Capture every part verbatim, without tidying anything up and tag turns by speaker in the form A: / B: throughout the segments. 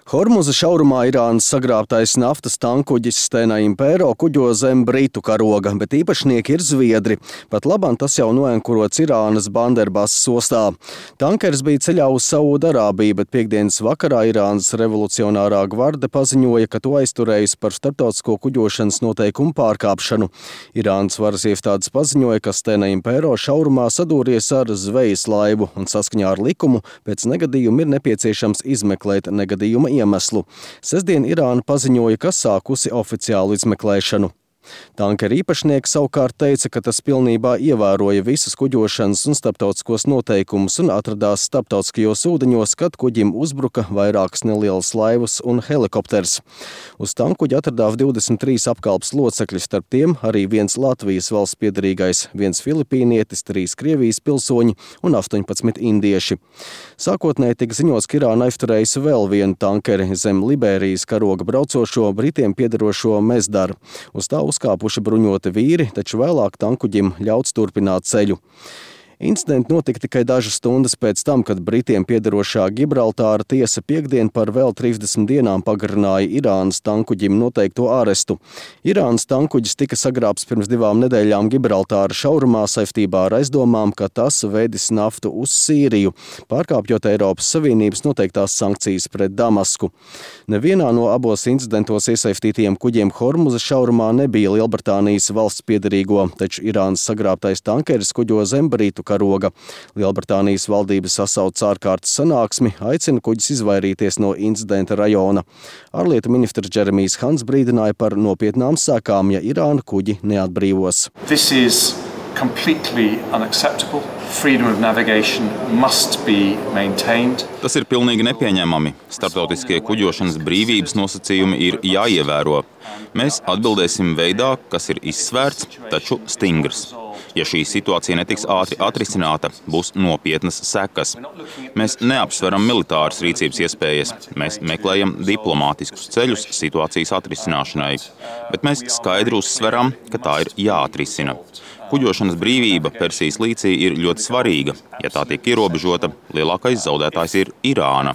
A: Hormuza šaurumā Irānas sagrābtais naftas tankuģis Stena Impero kuģo zem britu karoga, bet īpašnieki ir zviedri. Pat labam tas jau noenkurots Irānas Banderbasas ostā. Tankers bija ceļā uz Saūdarābiju, bet piekdienas vakarā Irānas revolucionārā gvarde paziņoja, ka to aizturējis par starptautisko kuģošanas noteikumu pārkāpšanu. Irānas varas iestādes paziņoja, ka Stena Impero šaurumā sadūries ar zvejas laivu un saskaņā ar likumu pēc negadījuma ir nepieciešams izmeklēt negadījuma iemeslu. Sestdien Irāna paziņoja, ka sākusi oficiālu izmeklēšanu. Tankera īpašnieks savukārt teica, ka tas pilnībā ievēroja visus kuģošanas un starptautiskos noteikumus un atradās starptautiskajos ūdeņos, kad kuģim uzbruka vairākas nelielas laivas un helikopters. Uz tankuģa atradās divdesmit trīs apkalpes locekļi, starp tiem arī viens Latvijas valsts piederīgais, viens filipīnietis, trīs Krievijas pilsoņi un astoņpadsmit indieši. Sākotnēji tika ziņots, ka Irāna aizturējusi vēl vienu tankeri zem Liberijas karoga braucošo Britiem piederošo Mezdaru. Uz tā uzkāpuši bruņoti vīri, taču vēlāk tankuģim ļauts turpināt ceļu. Incidenti notika tikai dažas stundas pēc tam, kad Britiem piederošā Gibraltāra tiesa piekdien par vēl trīsdesmit dienām pagarināja Irānas tankuģim noteikto arestu. Irānas tankuģis tika sagrābts pirms divām nedēļām Gibraltāra šaurumā saistībā ar aizdomām, ka tas vedis naftu uz Sīriju, pārkāpjot Eiropas Savienības noteiktās sankcijas pret Damasku. Nevienā no abos incidentos iesaistītajiem kuģiem Hormuza šaurumā nebija Lielbritānijas valsts piederīgo, taču Irānas sagrābtais tankeris kuģo zem Britu karoga. Lielbritānijas valdība sasauc ārkārtas sanāksmi, aicina kuģis izvairīties no incidenta rajona. Ārlietu ministrs Džeremijs Hants brīdināja par nopietnām sekām, ja Irāna kuģi neatbrīvos.
B: This is completely unacceptable. Freedom of navigation must be maintained.
C: Tas ir pilnīgi nepieņemami. Starptautiskie kuģošanas brīvības nosacījumi ir jāievēro. Mēs atbildēsim veidā, kas ir izsvērts, taču stingrs. Ja šī situācija netiks ātri atrisināta, būs nopietnas sekas. Mēs neapsveram militāras rīcības iespējas, mēs meklējam diplomātiskus ceļus situācijas atrisināšanai, bet mēs skaidri uzsveram, ka tā ir jāatrisina. Kuģošanas brīvība Persijas līcī ir ļoti svarīga. Ja tā tiek ierobežota, lielākais zaudētājs ir Irāna.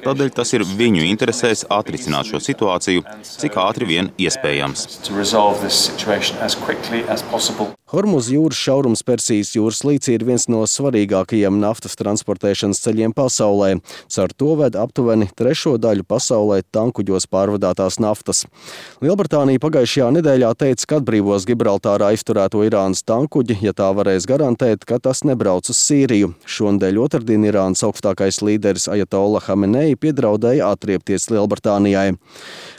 C: Tādēļ tas ir viņu interesēs atrisināt šo situāciju, cik ātri vien iespējams.
A: Hormuza jūras šaurums Persijas jūras līcī ir viens no svarīgākajiem naftas transportēšanas ceļiem pasaulē. Caur to ved aptuveni trešo daļu pasaulē tankuģos pārvadātās naftas. Lielbritānija pagājušajā nedēļā teica, ka atbrīvos Gibraltārā aizturēto Irānas tankuģi, ja tā varēs garantēt, ka tas nebrauc uz Sīriju. Šonedēļ otrdien Irānas augstākais līderis Ajatolla Hamenei piedraudēja atriepties Lielbritānijai.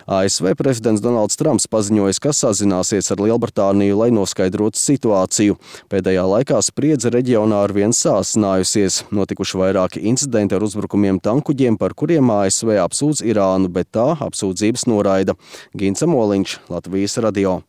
A: A S V prezidents Donalds Trumps paziņoja, ka sazināsies ar Lielbritāniju, lai noskaidrotu situāciju. Pēdējā laikā spriedze reģionā arvien sāsinājusies. Notikuši vairāki incidenti ar uzbrukumiem tankuģiem, par kuriem A S V apsūdz Irānu, bet tā apsūdzības noraida. Gints Amoliņš, Latvijas radio.